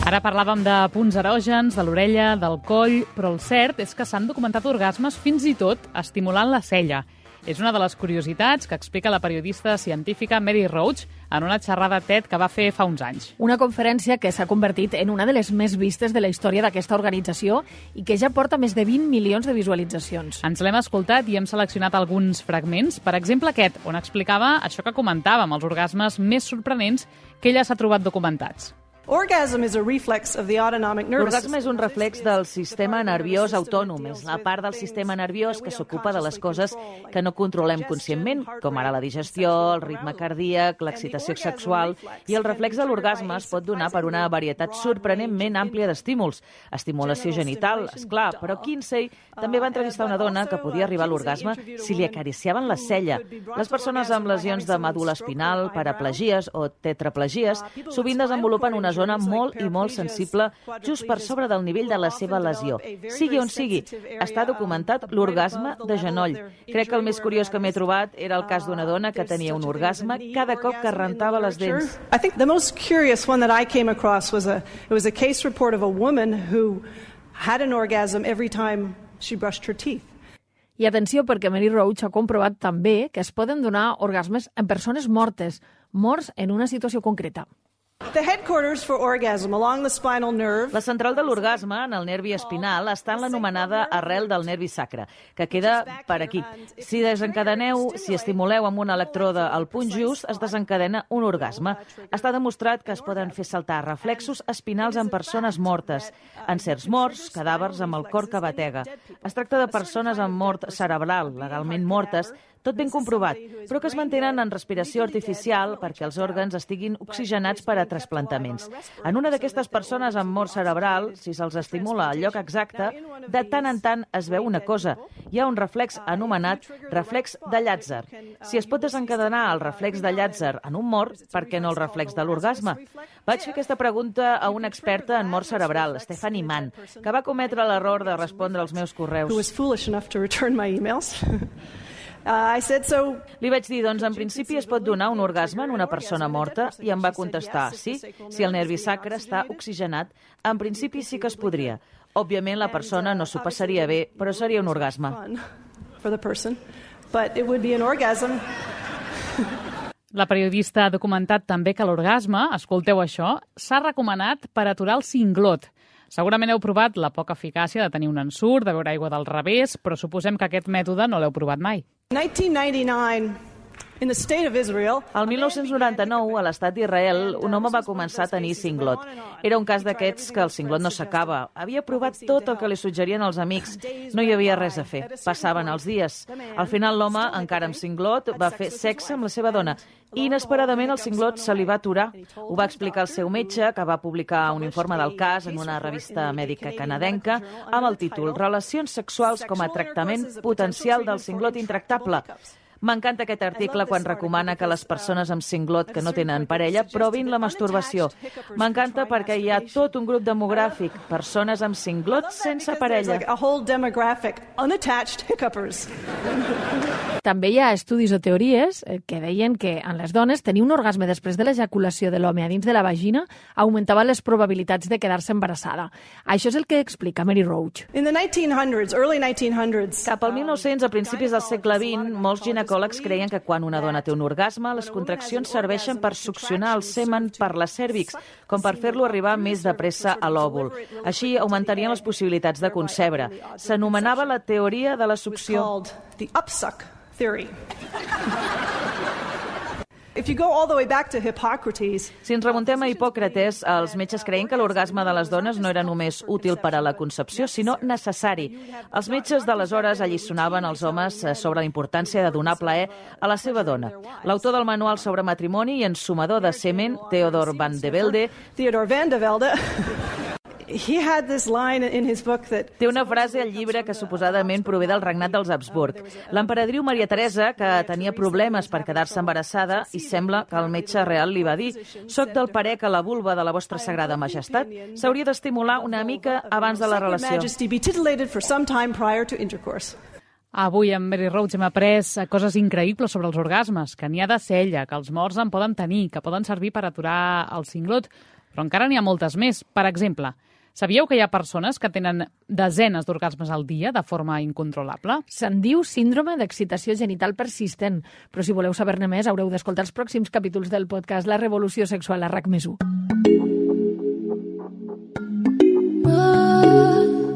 Ara parlàvem de punts erògens, de l'orella, del coll, però el cert és que s'han documentat orgasmes fins i tot estimulant la cella. És una de les curiositats que explica la periodista científica Mary Roach en una xerrada TED que va fer fa uns anys. Una conferència que s'ha convertit en una de les més vistes de la història d'aquesta organització i que ja porta més de 20 milions de visualitzacions. Ens l'hem escoltat i hem seleccionat alguns fragments, per exemple aquest, on explicava això que comentàvem, els orgasmes més sorprenents que ella s'ha trobat documentats. L'orgasme és un reflex del sistema nerviós autònom. És la part del sistema nerviós que s'ocupa de les coses que no controlem conscientment, com ara la digestió, el ritme cardíac, l'excitació sexual, i el reflex de l'orgasme es pot donar per una varietat sorprenentment àmplia d'estímuls. Estimulació genital, esclar, però Kinsey també va entrevistar una dona que podia arribar a l'orgasme si li acariciaven la cella. Les persones amb lesions de medul·la espinal, paraplegies o tetraplegies sovint desenvolupen una zona molt i molt sensible just per sobre del nivell de la seva lesió. Sigui on sigui, està documentat l'orgasme de genoll. Crec que el més curiós que m'he trobat era el cas d'una dona que tenia un orgasme cada cop que rentava les dents. I think the most curious one that I came across was a case report of a woman who had an orgasm every time she brushed her teeth. I atenció, perquè Mary Roach ha comprovat també que es poden donar orgasmes en persones mortes en una situació concreta. La central de l'orgasme, en el nervi espinal, està en l'anomenada arrel del nervi sacre, que queda per aquí. Si estimuleu amb un electrode al punt just, es desencadena un orgasme. Està demostrat que es poden fer saltar reflexos espinals en persones mortes, en certs morts, cadàvers amb el cor que batega. Es tracta de persones amb mort cerebral, legalment mortes, tot ben comprovat, però que es mantenen en respiració artificial perquè els òrgans estiguin oxigenats per a trasplantaments. En una d'aquestes persones amb mort cerebral, si se'ls estimula al lloc exacte, de tant en tant es veu una cosa. Hi ha un reflex anomenat reflex de Llàtzer. Si es pot desencadenar el reflex de Llàtzer en un mort, per què no el reflex de l'orgasme? Vaig fer aquesta pregunta a una experta en mort cerebral, Stephanie Mann, que va cometre l'error de respondre als meus correus. Li vaig dir, doncs, en principi es pot donar un orgasme en una persona morta, i em va contestar, sí, si el nervi sacre està oxigenat, en principi sí que es podria. Òbviament la persona no s'ho passaria bé, però seria un orgasme. La periodista ha documentat també que l'orgasme, escolteu això, s'ha recomanat per aturar el cinglot. Segurament heu provat la poca eficàcia de tenir un ensurt, de beure aigua del revés, però suposem que aquest mètode no l'heu provat mai. El 1999, a l'estat d'Israel, un home va començar a tenir cinglot. Era un cas d'aquests que el cinglot no s'acaba. Havia provat tot el que li suggerien els amics. No hi havia res a fer. Passaven els dies. Al final, l'home, encara amb cinglot, va fer sexe amb la seva dona. I, inesperadament, el cinglot se li va aturar. Ho va explicar el seu metge, que va publicar un informe del cas en una revista mèdica canadenca amb el títol «Relacions sexuals com a tractament potencial del cinglot intractable». M'encanta aquest article quan recomana que les persones amb cinglot que no tenen parella provin la masturbació. M'encanta perquè hi ha tot un grup demogràfic, persones amb cinglot sense parella. També hi ha estudis o teories que deien que en les dones tenir un orgasme després de l'ejaculació de l'home a dins de la vagina augmentava les probabilitats de quedar-se embarassada. Això és el que explica Mary Roach. Cap al 1900, a principis del segle XX, molts ginecòlegs creien que quan una dona té un orgasme, les contraccions serveixen per succionar el semen per la cèrvix, com per fer-lo arribar més de pressa a l'òvul. Així augmentarien les possibilitats de concebre. S'anomenava la teoria de la succió. The upsuck theory. If you go all the way back to Hippocrates, si ens remuntem a Hipòcrates, els metges creien que l'orgasme de les dones no era només útil per a la concepció, sinó necessari. Els metges d'aleshores alliçonaven els homes sobre la importància de donar plaer a la seva dona. L'autor del manual sobre matrimoni i ensumador de semen, Theodor van de Velde, he had this line in his book that... Té una frase al llibre que suposadament prové del regnat dels Habsburg. L'emperadriu Maria Teresa, que tenia problemes per quedar-se embarassada, i sembla que el metge real li va dir: «Soc del parer que la vulva de la vostra sagrada majestat s'hauria d'estimular una mica abans de la relació». Avui amb Mary Roach hem après coses increïbles sobre els orgasmes, que n'hi ha de cella, que els morts en poden tenir, que poden servir per aturar el cinglot, però encara n'hi ha moltes més. Per exemple, sabíeu que hi ha persones que tenen desenes d'orgasmes al dia de forma incontrolable? Se'n diu síndrome d'excitació genital persistent, però si voleu saber-ne més haureu d'escoltar els pròxims capítols del podcast La revolució sexual a RAC+1.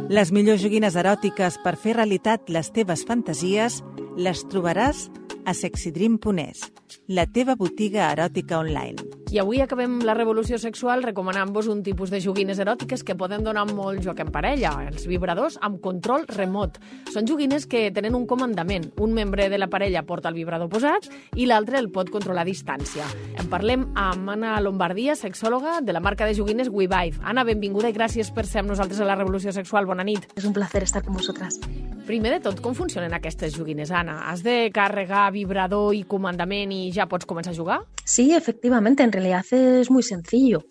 Les millors joguines eròtiques per fer realitat les teves fantasies les trobaràs a sexydream.es, la teva botiga eròtica online. I avui acabem la revolució sexual recomanant-vos un tipus de joguines eròtiques que poden donar molt joc en parella, els vibradors amb control remot. Són joguines que tenen un comandament. Un membre de la parella porta el vibrador posat i l'altre el pot controlar a distància. En parlem amb Anna Lombardia, sexòloga de la marca de joguines WeVibe. Anna, benvinguda i gràcies per ser amb nosaltres a la revolució sexual. Bona nit. És un placer estar con vosotras. Primer de tot, com funcionen aquestes joguines, Anna? Has de carregar vibrador y comandament y ya pots començar a jugar? Sí, efectivamente, en realidad es muy sencillo.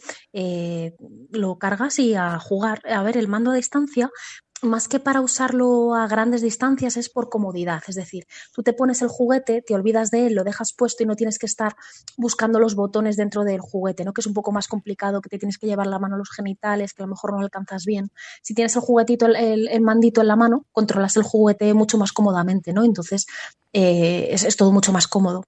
Lo cargas y a jugar. A ver, el mando a distancia, más que para usarlo a grandes distancias, es por comodidad. Es decir, tú te pones el juguete, te olvidas de él, lo dejas puesto y no tienes que estar buscando los botones dentro del juguete, ¿no? Que es un poco más complicado, que te tienes que llevar la mano a los genitales, que a lo mejor no alcanzas bien. Si tienes el juguetito, el mandito en la mano, controlas el juguete mucho más cómodamente, ¿no? Entonces, es todo mucho más cómodo.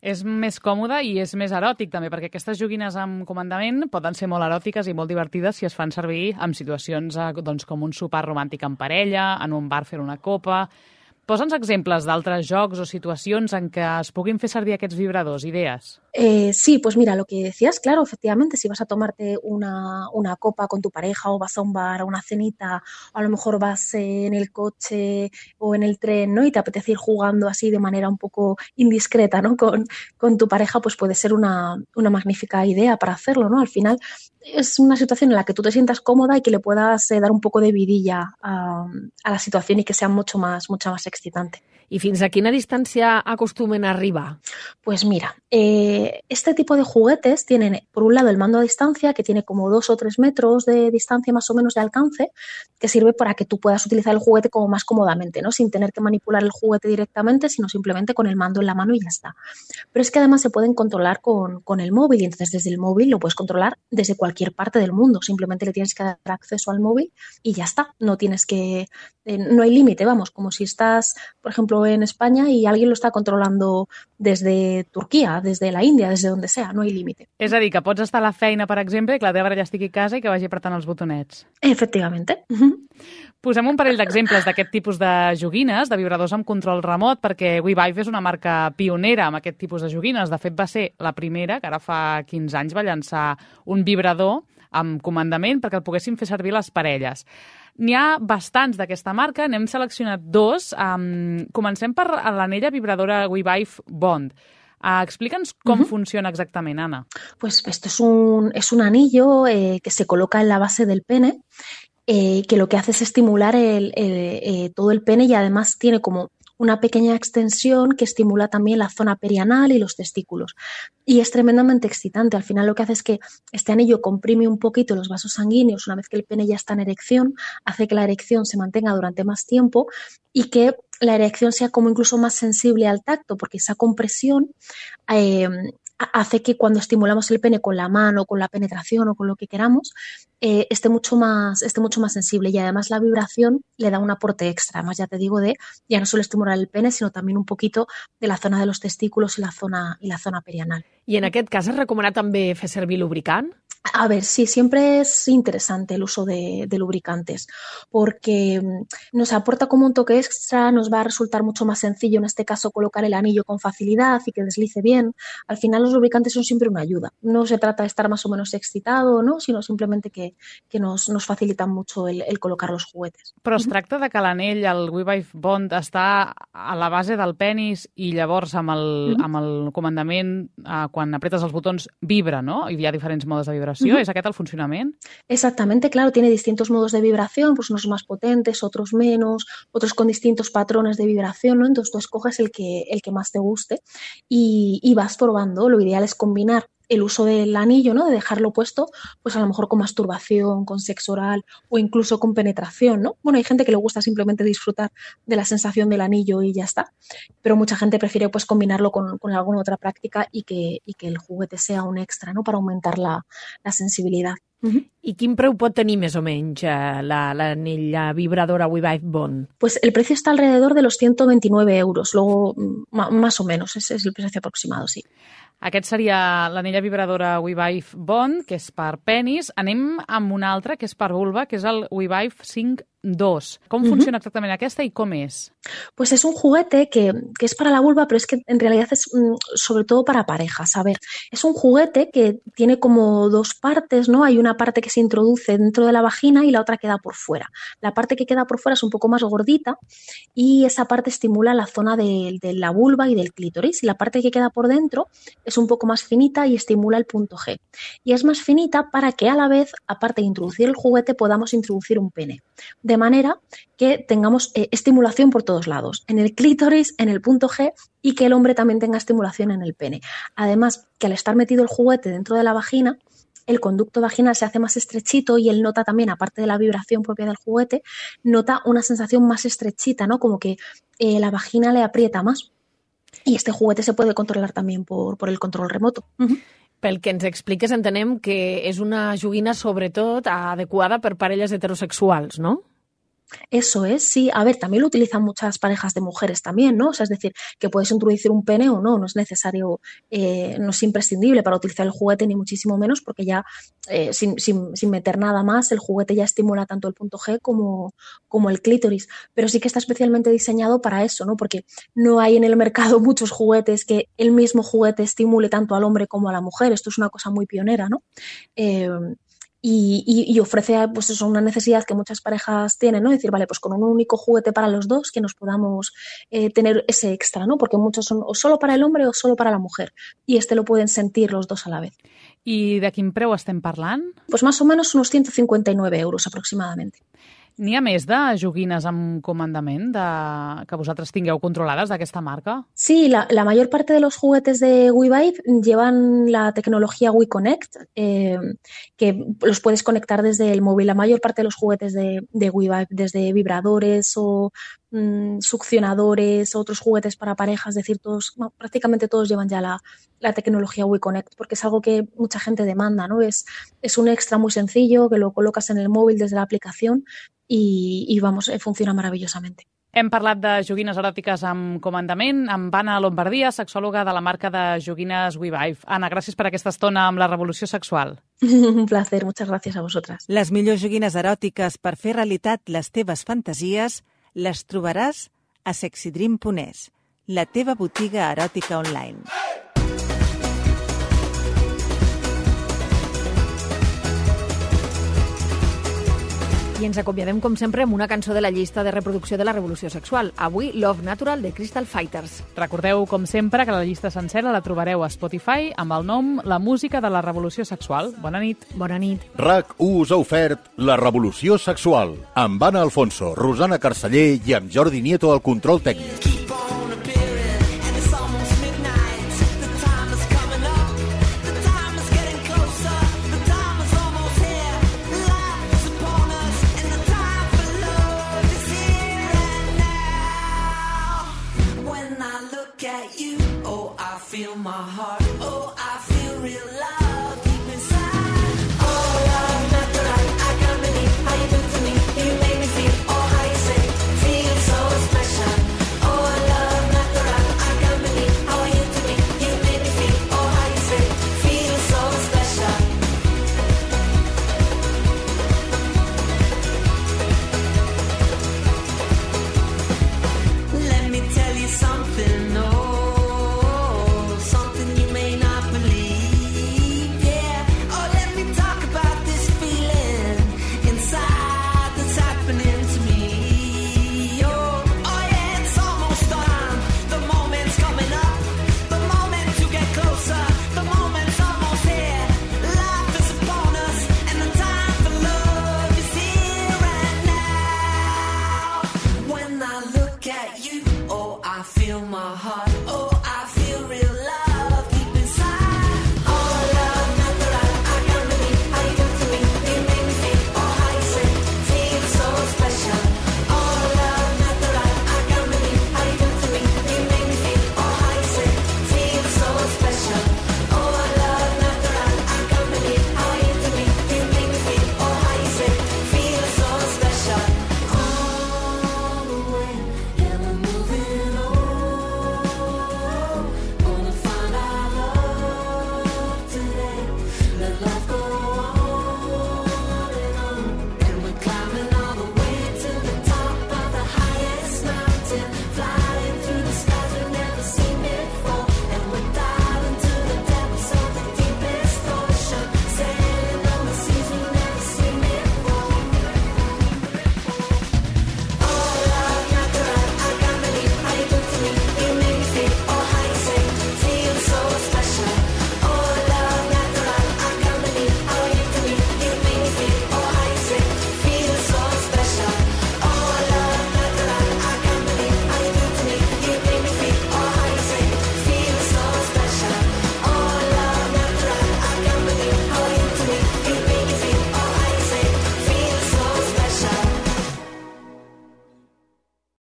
És més còmode i és més eròtic també, perquè aquestes joguines amb comandament poden ser molt eròtiques i molt divertides si es fan servir en situacions com un sopar romàntic en parella, en un bar fer una copa. Posa'ns exemples d'altres jocs o situacions en què es puguin fer servir aquests vibradors, idees. Sí, pues mira, lo que decías, claro, efectivamente, si vas a tomarte una copa con tu pareja o vas a un bar, a una cenita, o a lo mejor vas en el coche o en el tren, ¿no? Y te apetece ir jugando así de manera un poco indiscreta, ¿no? Con tu pareja, pues puede ser una magnífica idea para hacerlo, ¿no? Al final es una situación en la que tú te sientas cómoda y que le puedas dar un poco de vidilla a la situación y que sea mucho más excitante. I fins a quina distància acostumen a arribar? Pues mira, este tipo de juguetes tienen, por un lado, el mando a distancia, que tiene como 2 o 3 metros de distancia más o menos de alcance, que sirve para que tú puedas utilizar el juguete como más cómodamente, ¿no? Sin tener que manipular el juguete directamente, sino simplemente con el mando en la mano y ya está. Pero es que además se pueden controlar con el móvil, y entonces desde el móvil lo puedes controlar desde cualquier parte del mundo. Simplemente le tienes que dar acceso al móvil y ya está. No tienes que... no hay límite, vamos, como si estás, por ejemplo, en España y alguien lo está controlando desde Turquia, desde la Índia, desde donde sea, no hay límite. És a dir, que pots estar a la feina, per exemple, i que la teva parella estigui a casa i que vagi apretant els botonets. Efectivamente. Posem un parell d'exemples d'aquest tipus de joguines, de vibradors amb control remot, perquè WeVibe és una marca pionera amb aquest tipus de joguines. De fet, va ser la primera, que ara fa 15 anys va llançar un vibrador amb comandament perquè el poguessin fer servir les parelles. N'hi ha bastants d'aquesta marca, n'hem seleccionat 2. Comencem per l'anella vibradora WeVibe Bond. Explica'ns com funciona exactament, Anna. Pues esto es un anillo que se coloca en la base del pene, que lo que hace es estimular todo el pene y además tiene como una pequeña extensión que estimula también la zona perianal y los testículos. Y es tremendamente excitante. Al final lo que hace es que este anillo comprime un poquito los vasos sanguíneos una vez que el pene ya está en erección, hace que la erección se mantenga durante más tiempo y que la erección sea como incluso más sensible al tacto, porque esa compresión hace que cuando estimulamos el pene con la mano, con la penetración o con lo que queramos, esté mucho más sensible, y además la vibración le da un aporte extra. Además, ya te digo, ya no solo estimular el pene, sino también un poquito de la zona de los testículos y la zona perianal. I en aquest cas es recomana també fer servir lubricant? A ver, sí, siempre es interesante el uso de lubricantes, porque nos aporta como un toque extra, nos va a resultar mucho más sencillo en este caso colocar el anillo con facilidad y que deslice bien. Al final los lubricantes son siempre una ayuda. No se trata de estar más o menos excitado, ¿no?, sino simplemente que nos facilitan mucho el colocar los juguetes. Però es tracta de que l'anell, el WeVibe Bond, està a la base del penis i llavors amb el comandament, quan apretes els botons, vibra, ¿no? I hi ha diferents modes de vibració. ¿Es aquest el funcionament? Exactamente, claro, tiene distintos modos de vibración, pues unos más potentes, otros menos, otros con distintos patrones de vibración, ¿no? Entonces tú escoges el que más te guste y vas probando. Lo ideal es combinar el uso del anillo, ¿no?, de dejarlo puesto, pues a lo mejor con masturbación, con sexo oral o incluso con penetración, ¿no? Bueno, hay gente que le gusta simplemente disfrutar de la sensación del anillo y ya está, pero mucha gente prefiere pues combinarlo con alguna otra práctica y que el juguete sea un extra, ¿no?, para aumentar la sensibilidad. I quin preu pot tenir més o menys l'anell vibradora WeVibe Bond? Pues el precio está alrededor de los 129 euros, luego más o menos, ese es el precio aproximado, sí. Aquest seria l'anella vibradora WeVibe Bond, que és per penis. Anem amb una altra, que és per vulva, que és el WeVibe 5.2. Com funciona exactament aquesta i com és? Pues es un juguete que es para la vulva, pero es que en realidad es sobre todo para parejas. A ver, es un juguete que tiene como dos partes, ¿no? Hay una parte que se introduce dentro de la vagina y la otra queda por fuera. La parte que queda por fuera es un poco más gordita y esa parte estimula la zona de la vulva y del clítoris, y la parte que queda por dentro es un poco más finita y estimula el punto G. Y es más finita para que a la vez, aparte de introducir el juguete, podamos introducir un pene. De manera que tengamos estimulación por todos lados, en el clítoris, en el punto G, y que el hombre también tenga estimulación en el pene. Además, que al estar metido el juguete dentro de la vagina, el conducto vaginal se hace más estrechito y él nota también, aparte de la vibración propia del juguete, nota una sensación más estrechita, ¿no?, como que la vagina le aprieta más. I este juguete se puede controlar también por el control remoto. Pel que ens expliques, entenem que és una joguina sobretot adequada per parelles heterosexuals, ¿no? Eso es, sí. A ver, también lo utilizan muchas parejas de mujeres también, ¿no? O sea, es decir, que puedes introducir un pene o no es necesario, no es imprescindible para utilizar el juguete, ni muchísimo menos, porque ya sin meter nada más, el juguete ya estimula tanto el punto G como el clítoris. Pero sí que está especialmente diseñado para eso, ¿no? Porque no hay en el mercado muchos juguetes que el mismo juguete estimule tanto al hombre como a la mujer. Esto es una cosa muy pionera, ¿no? Y ofrece pues eso, una necesidad que muchas parejas tienen, ¿no? Decir, vale, pues con un único juguete para los dos que nos podamos tener ese extra, ¿no? Porque muchos son o solo para el hombre o solo para la mujer. Y lo pueden sentir los dos a la vez. I de quin preu estem parlant? Pues más o menos unos 159 euros aproximadamente. N'hi ha més de joguines amb comandament que vosaltres tingueu controlades d'aquesta marca? Sí, la mayor parte de los juguetes de WeVibe llevan la tecnología WeConnect, que los puedes conectar desde el móvil. La mayor parte de los juguetes de WeVibe, desde vibradores o succionadores, otros juguetes para parejas, es decir, prácticamente todos llevan ya la tecnología WeConnect, porque es algo que mucha gente demanda, ¿no? Es un extra muy sencillo que lo colocas en el móvil desde la aplicación y vamos, funciona maravillosamente. Hem parlat de joguines eròtiques amb comandament amb Anna Lombardia, sexòloga de la marca de joguines WeVibe. Anna, gràcies per aquesta estona amb la revolució sexual. Un placer, muchas gracias a vosotras. Les millors joguines eròtiques per fer realitat les teves fantasies les trobaràs a sexydream.es, la teva botiga eròtica online. I ens acomiadem, com sempre, amb una cançó de la llista de reproducció de la revolució sexual. Avui, Love Natural, de Crystal Fighters. Recordeu, com sempre, que la llista sencera la trobareu a Spotify amb el nom La música de la revolució sexual. Bona nit. Bona nit. RAC1 us ha ofert La revolució sexual, amb Anna Alfonso, Rosana Carceller i amb Jordi Nieto al control tècnic.